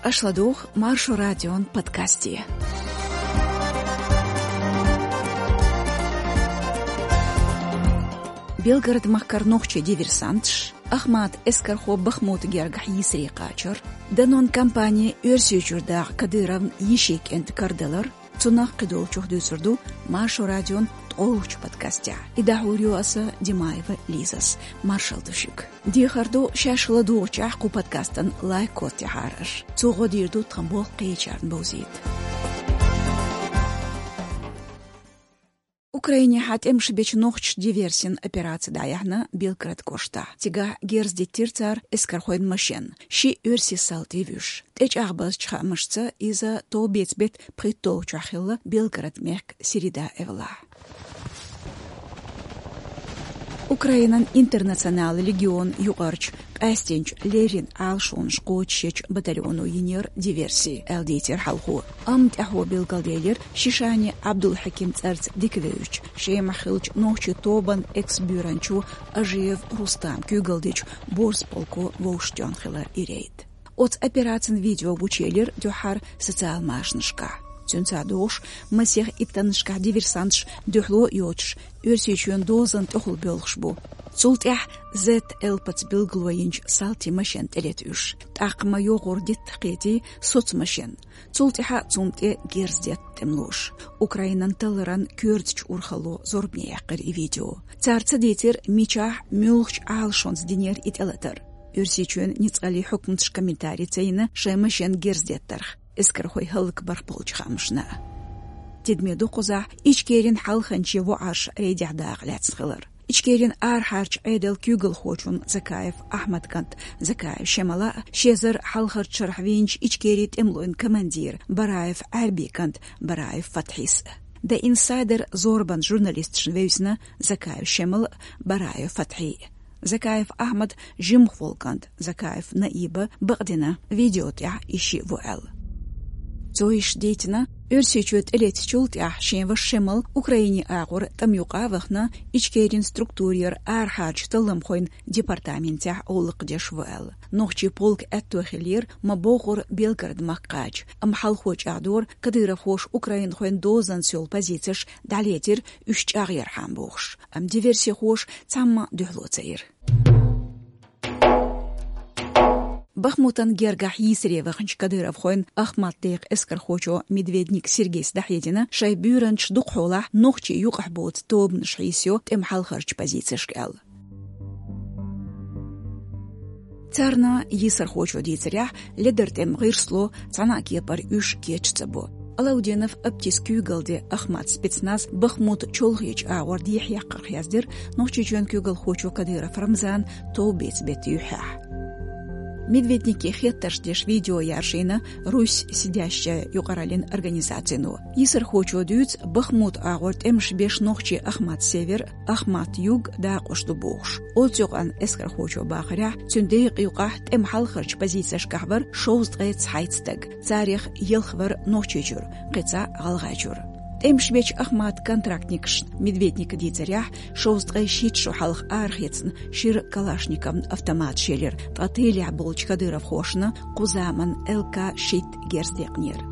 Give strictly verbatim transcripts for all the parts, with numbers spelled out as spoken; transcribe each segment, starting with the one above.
Аша ладугӀу Маршо радион подкасте. Белгород-махкара нохчий диверсанташ, Ахмат эскархо Бахмута гергахь йийсаре кхачар, данон кампани Оьрсийчуьра дагӀа Кадыровн йишин кӀентан карадалар, цунах кхидолчух дуьйцур ду Маршо радион ткъолгӀачу подкастехь. И дӀахьур ю аса, Димаева Лизас. Маршалла ду шуьга. Дехар ду, шаьш ладугӀучехь кху подкастан лайк коцтехьара аша. Цо гӀо дийр ду тхан болх кхечарна бовзийта. Украинехь тӀемаш бечу нохчаша диверсин операци дӀаяьхьна Белгород кӀоштахь. Цигахь герз диттира цара эскархойн машен, ши оьрсийн салти вуьйш. ТӀечӀагӀбазчу хаамашца, иза товбеца беттан пхийтталгӀачохь хилла, Белгород-мехк Середа-Эвлахь. Украинан Интернационалан легион юкъарчу къаьстинчу леррина Ӏалашонаш кхочушъечу батальоно йинера диверси, аьлла дийцира хьалхо. Амма тӀаьхьо билгалделира шишани Ӏабдулхьаким цӀарца дика вевзачу, Шемахь хиллачу нохчийн тобанан экс-буьйранчо Ажиев Рустаман куьйгалла дечу борз полко вовшахтоьхна хилар и рейд. Оцу операцин видео гучуелира дуьххьара социал машанашкахь. Цуьнца догӀуш, масех иттаннашкахь диверсанташ дуьхьало а йоцуш, Оьрсийчоьнан дозанна тӀехула боьлхуш бу. Цул тӀаьхьа Z L пац билгало йинчу салтийн машен тӀелета уьш. ТӀаккха ма йогӀура дитта кхетий соцмашен. Цул тӀаьхьа цунна тӀе герз детта тӀемалоша. Украинан талларан коьртачу урхалло зорбане яьккхира и видео. Цара ца дийцира, мичахь, муьлхачу Ӏалашонца динера и тӀелатар. Оьрсийчоьнан ницкъаллин хьукматаша комментари ца йина шайн машен герз деттарх, эскархой хӀаллакбарх болчу хаамашна. Тидаме ду кхузахь Ичкерин хьалханчийн воӀарш рейдехь дакъа лаьцна хилар. Ичкерин арахьарчу Ӏедалан куьйгалхочун Закаев Ахьмадан кӀант Закаев Шемала а, ши эзар хьалхарчу шарахь вийначу Ичкерин тӀемалойн командира Бараев Ӏаьрбин кӀант Бараев Фатхьис а. The Insider зорбанан журналисташна вевзина Закаев Шемал а, Бараев Фатхьи а. Закаев Ахьмадан жимахволу кӀант Закаев Наиба бакъдина видео тӀехь и шиъ ву аьлла. Цо иштта дийцина, Оьрсийчоь тӀелецначул тӀаьхьа шен ваша Шемал Украинин агӀор тӀаман юкъа а вахана, Ичкерин структурера арахьарчу талламхойн департаментехь гӀуллакх деш ву аьлла. Нохчийн полкан аьтто хиллера, ма бохура, Белгород-махка кхача, амма хьалхо чӀагӀдора, кадыровхоша украинхойн дозанца йолу позицеш дӀалецира, уьш чӀагӀъярхьама бохуш. Амма диверсихоша цхьамма дуьхьало ца йира. Бахмутан гергахь йийсаре ваханчу кадыровхойн Ахмат-декъан эскархочо Медведник Сергейс дӀахьедина, шайн буьйранчаш дукхахьолахь нохчийн юкъахь боцу тобанаш хьийсайо тӀеман хьалхарчу позицешка аьлла. Царна, йийсархочо дийцарехь, ледара тӀеман гӀирс ло, цхьана а кепара уьш кечам ца бо. Алаудинов Аптис куьйгалла ден Ахмат спецназ Бахмут чолхечу агӀор дехьаяккхарх яздира Нохчийчоьнан куьйгалхочо Кадыров Рамзана товбеца беттан юьххьехь. Медведнике хеттарш деш видео яржийна «Русь сидящая» юкъараллин организацино. Йийсархочо дуьйцу, Бахмут агӀор тӀемаш беш нохчийн Ахмат-Север, Ахмат-Юг дакъош ду бохуш. Оцу юкъанна эскархочо бахарехь, цуьнан декъа юкъахь тӀеман хьалхарчу позицешкахь вара шовзткъе цхьайтта стаг, царех ялх вара Нохчийчуьра, кхин цхьаъ ГӀалгӀайчуьра. ТӀемаш бечу Ахматан контрактникашна, Медведника дийцарехь, шовзткъе шийтта шо хьалха арахецна шира Калашниковн автоматаш елира, ткъа тылехь болчу кадыровхошна кху заманан Л К шийтта герз декънера.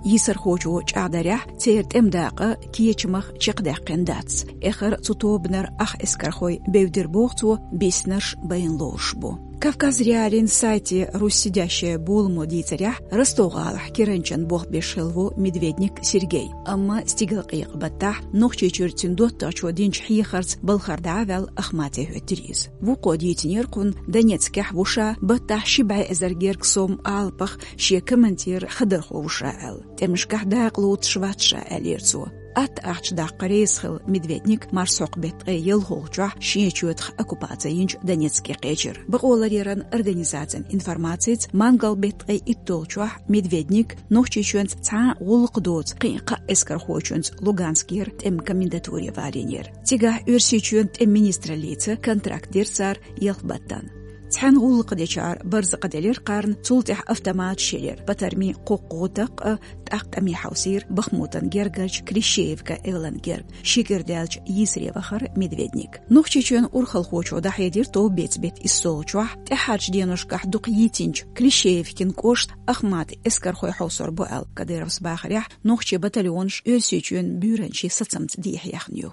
Йийсархочо чӀагӀдарехь, церан тӀеман дакъа кечамах чекхдаьккхина дац. Эххар цу тобанара ах эскархой бевдира боху цо, биснарш байна лоруш бу. Кавказ.Реалиин сайте «Русь сидящая» боламо дийцарехь, Ростов-гӀалахь киранчан болх беш хилла ву Медведник Сергей, амма стигалкъекъа баттахь Нохчийчуьра цуьнан доттагӀчо динчу хьехарца балхара дӀа а ваьлла, Ахмате хӀоьттира иза. Вукхо дийцинера кхунна, Донецкехь ву ша, баттахь ши бӀе эзар гергга сом алапах шен командиран хадархо ву ша аьлла. ТӀемашкахь дакъа лоцуш вац ша, аьллера цо. Атта ахча даккха реза хилла Медведник марсхьокху беттан ткъе ялхолгӀачохь шен чоьтах оккупаци йинчу Донецке кхечира. Бакъоларъяран организацин информацица, мангал беттан ткъе иттолгӀачохь Медведник Нохчийчоьнца цхьа а гӀуллакх доцу кхин а кхаа эскархочуьнца Луганскера тӀеман комендатуре валийнера. Цигахь Оьрсийчоьнан тӀеман министраллица контракт дира цара ялх баттана. Цхьана гӀуллакх дечара барзакъ делира кхарна, цул тӀаьхьа автоматаш елира. Патармин кхоккхо такъ а тӀаккха тӀаме хьовсийра Бахмутан гергарчу Клещеевка эвлан герга, ши кӀира даьлча йийсаре вахара Медведник. Нохчийчоьнан урхалхочо дӀахьедира товбеца беттан иссолгӀачохь, тӀаьххьарчу деношкахь дукха йийцинчу Клещеевкин кӀошт Ахмат эскархой хьовсор бу аьлла. Кадыровс бахарехь, нохчийн батальонаш Оьрсийчоьнан буьйранчин сацамца дехьаяьхна ю.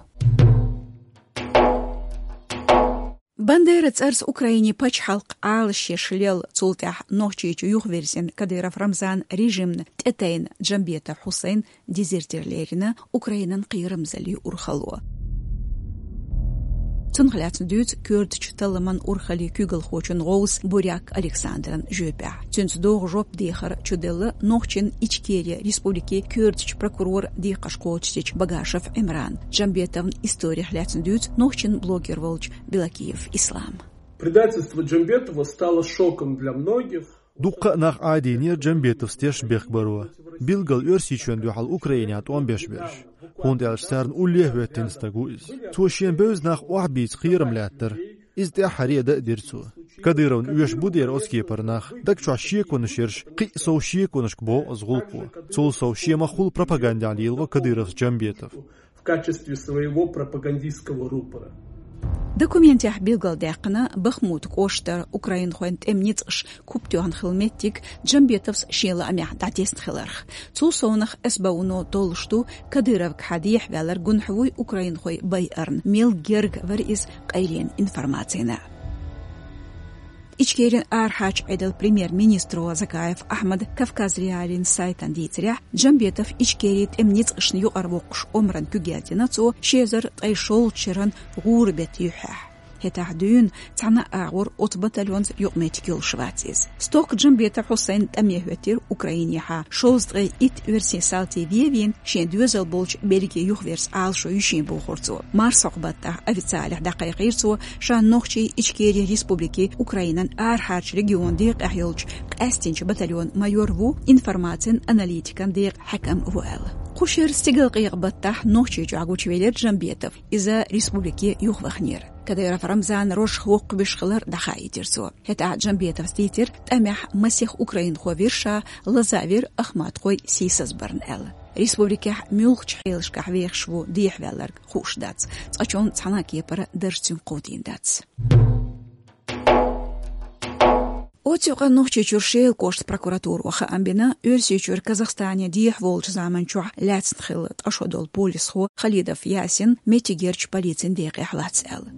Бандера цӀарца Украинин пачхьалкх Ӏалашъеш лелла, цул тӀаьхьа Нохчийчу юхаверзина Кадыров Рамзанан режимна тӀетайна Джамбетов Хьусайн дезертир лерина Украинан кхерамзаллин урхалло. Цунах лаьцна дуьйцу коьртачу талламан урхаллин куьйгалхочун гӀовс Буряк Александран жоьпехь. Цуьнца догӀу жоп дехар чуделла нохчийн Ичкери республикин коьртачу прокуроран декхарш кхочушдечу Багашев Ӏимрана. Джамбетовн историх лаьцна дуьйцу нохчийн блогер волчу Белокиев Ислама. Предательство Джамбетова стало шоком для многих. Дуккха а нах Ӏадийна Джамбетовс теш бехк баро, билггал Оьрсийчоьнна дуьхьал Украинехь тӀом беш берш, хӀунда аьлча царна улле а хӀоьттина стаг ву иза. Цо шен бевза нах охьабийца кхерам лаьттара. Иза тӀаьххьара а дан а дира цо. Кадыровна оьшуш бу дера оцу кепара нах, даг чохь шеконаш ерш, кхин а сов шеконашка боху оцу гӀуллакхо. Цул сов шен махкахула пропагандехь лелаво Кадыровс Джамбетов. В качестве своего пропагандистского рупора. Документехь билгалдаьккхина, Бахмут кӀоштара украинхойн тӀеман ницкъаш куп тоьхна хилла меттиг Джамбетовс шен лаамехь дӀатесна хиларх. Цул совнах СБУ-но толлуш ду, Кадыровгахьа дехьаваьлларг гунахь вуй украинхой байарна, мел герга вара иза къайлен информацина. Ичкерин арахьарчу Ӏедалан премьер-министро Закаев Ахьмада Кавказ.Реалиин сайтана дийцарехь, Джамбетов Ичкерин тӀеман ницкъашна юкъара воккхуш омран куьг яздина цо ши эзар ткъе шолгӀачу шеран гӀуран беттан юьххьехь. ХӀетахь дуьйна цхьана а агӀор оцу батальонца юкъаметтиг йолуш вац иза. Стохка Джамбетов Хьусайн тӀаме хӀоьттира Украинехьа, шовзткъе итт оьрсийн салти вен а вийна, шен доьзал болчу Бельги юхаверза Ӏалашо йиш йина бохура цо. Марсхьокху баттахь официалехь дӀакхайкхийра цо, ша Нохчийн Ичкерин республикин Украинан арахьарчу регионан декъехь йолчу къаьстинчу батальонан майор ву, информацин аналитикан декъан хьаькам ву аьлла. Кху шеран стигалкъекъа баттахь Нохчийчохь гучувелира Джамбетов, иза республике юхаваханера. Кадыров Рамзанан рожах воккхавеш хилар дӀахаийтира цо. ХӀетахь Джамбетовс дийцира, тӀамехь масех украинхо вира ша, лазавира ахматхой сийсазбарна аьлла. Республикехь муьлхачу хьелашкахь вехаш ву дехьаваьлларг хууш дац. Цкъачунна цхьана а кепара дарж цуьнга кховдийна дац. Оццу юкъа Нохчийчуьра Шелан кӀоштан прокуратуро хаам бина, Оьрсийчуьра Казахстане дехьаволчу заманчохь лаьцна хилла ткъа шо долу полисхо Халидов Ясин меттигерчу полицин декъехь лац аьлла.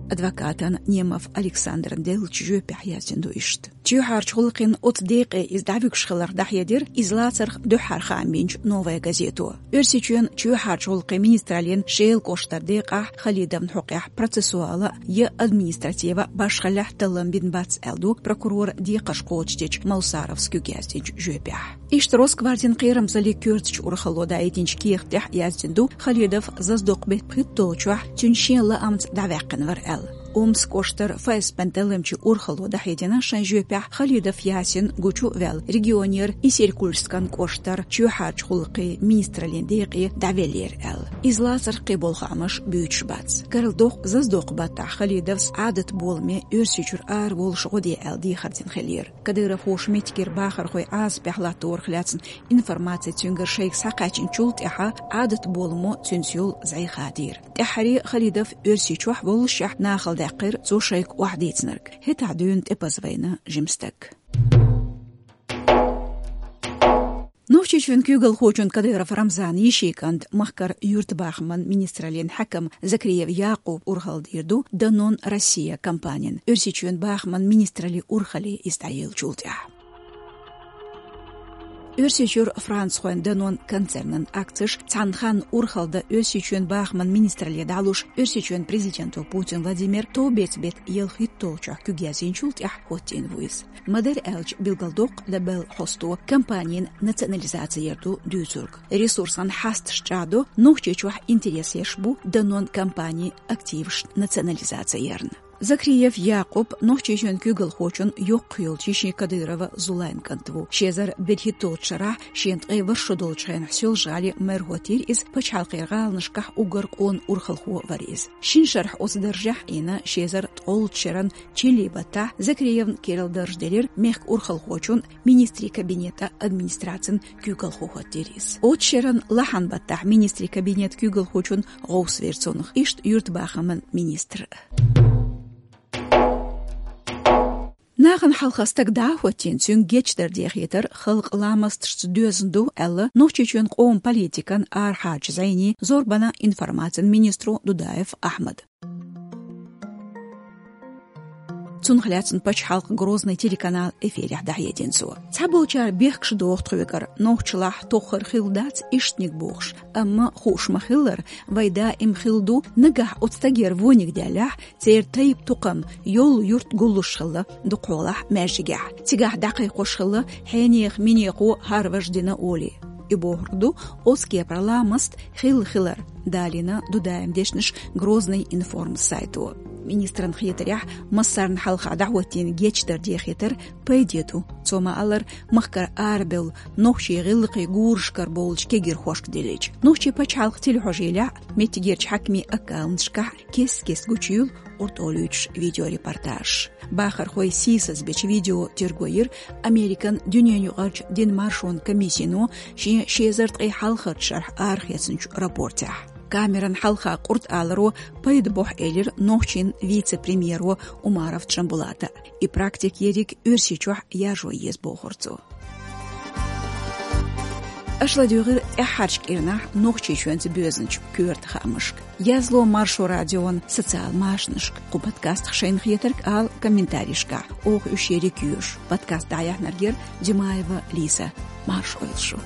Адвокатан Немов Александран деллачу жоьпехь яздина ду иштта. Чоьхьарчу гӀуллакхийн оцу декъе иза дӀавуьгуш хиларх дӀахьедира иза лацарх дуьххьара хаам бинчу «Новая газето». Оьрсийчоьнан чоьхьарчу гӀуллакхийн министраллин Шелан кӀоштара декъахь Халидовн хьокъехь процессуала я административа башхаллехь таллам бина бац аьлла ду прокуроран декхарш кхочушдечу Малсаровс куьг яздинчу жоьпехь. Иштта Росгвардин кхерамзаллин коьртачу урхалло даийтинчу кехат тӀехь яздина ду, Халидов заздокху беттан пхийтталгӀачохь цуьнан шен лаамца дӀаваьккхина вара аьлла. Омскан кӀоштара ФСБ-н талламчийн урхалло дӀахьедина шайн жоьпехь, Халидов Ясин гучу а ваьлла, регионера Исилькульскан кӀоштара чоьхьарчу гӀуллакхийн министраллин декъе дӀавеллера аьлла. Иза лацарх кхин болу хаамаш буьйцуш бац. Карладоккху, заздокху баттахь Халидовс Ӏадат боламе Оьрсийчуьра ара волуш гӀо де аьлла дехар дина хиллера. Кадыровхоша меттигера бахархой Ӏазапехь латторах лаьцна информаци цуьнгара шайга схьакхаьчначул тӀаьхьа Ӏадат боламо цуьнца йолу зӀе хадийра. ТӀаьххьара Халидов Оьрсийчохь воллушехь нахала даьккхира цо шайга охьадийцинарг. ХӀетахь дуьйна тӀепаза вайна жима стаг. Нохчийчоьнан куьйгалхочун Кадыров Рамзанан йишин кӀант, махкара юьртабахаман министраллин хьаькам Закриев Якъуб урхалла дийр ду «Данон Россия» компанин, Оьрсийчоьнан бахаман министраллин урхалле иза дӀаеллачул тӀаьхьа. Оьрсийчуьра францхойн «Данон» концернан акцеш цхьана ханна урхалла дан Оьрсийчоьнан бахаман министралле дӀалуш, Оьрсийчоьнан президенто Путин Владимира товбеца беттан ялх хӀитталгӀачохь куьг яздинчул тӀаьхьа хӀоттийна ву иза. Ма-дарра аьлча, билгалдоккху Лебел хьосто компанин национализаци яр ду дуьйцург. Ресурсан хьасташ чӀагӀдо Нохчийчохь интерес еш бу «Данон» компанин активашна национализаци ярна. Закриев Якъуб Нохчийчоьнан куьйгалхочун йоккха йолчу йишин Кадырова Зулайн кӀант ву. Ши эзар берхӀитталгӀачу шарахь шена ткъе ворхӀ шо долчу хенахь Соьлжа-ГӀалин мэр хӀоттийра иза, пачхьалкхан гӀаланашкахь уггар къона урхалхо вара иза. Шина шарахь оцу даржехь а Ӏийна, ши эзар ткъолгӀачу шеран чиллин баттахь Закриевна кийрара дарж делира мехкан урхалхочун, министрийн кабинетан администрацин куьйгалхо хӀоттийра иза. Оцу шеран лахьан баттахь министрийн кабинетан куьйгалхочун гӀовс вира цунах, иштта юьртабахаман министр. Нахана хьалха стаг дӀа а хӀоттийна, цуьнга гечдар дехийтар халкъан ламасташца доьзна ду аьлла, Нохчийчоьнан къоман политикан арахьарчу зӀенийн, зорбанан, информацин министро Дудаев Ахьмада. Цунах лаьцна пачхьалкхан Грозный телеканалан эфирехь дӀахьедина цо. Цхьаболчара бехкаш доху тхоьгара, нохчалахь тоххар хилла дац ишттаниг бохуш, амма хууш ма-хиллара, вайн даим хилла ду, нагахь оцу стагера вониг даьллехь, церан тайпа-тукхам, йолу юрт гуллуш хилла, дукхахьолахь маьждигехь. Цигахь дӀакхайкхош хилла хьенехан минехо хӀара важа дина олий. И бохург ду, оцу кепара ламаст хилла хилар, далийна Дудаевн дешнаш Грозный информ сайто. Министран хетарехь, массарна хьалха дӀахӀоттийна гечдар дехийтар пайде ду. Цо ма-аллара, махкара арабевлла нохчийн гӀиллакхийн гурашкара бовлучу кегийрхошка деллачу. Нохчийн пачхьалкхан телехьожийлехь, меттигерчу хьаькамийн аккаунташкахь кест-кеста гучуйийла къуртӀалуьйтуш видеорепортаж. Бахархой сийсазбечу видео терго йира Американ дуьненаюкъарчу динан маршонан комиссино шен ши эзар ткъе хьалхарчу шарахь арахецначу рапортехь. Камеран хьалха къуртӀаларо пайда бохьу элира нохчийн вице-премьеро Умаров Джамбулата. И практика ерриг Оьрсийчохь яржо еза бохура цо. Аша ладуьйгӀира тӀаьххьарчу кӀирнахь Нохчийчоьнца боьзначу коьрта хаамашка. Язло Маршо радион социал машанашка, кху подкастах шайна хетарг ала комментарийшкахь, оха уьш ерриг йоьшу. Подкаст дӀаяьхьнарг яра Димаева Лиза. Марша Ӏойла шу.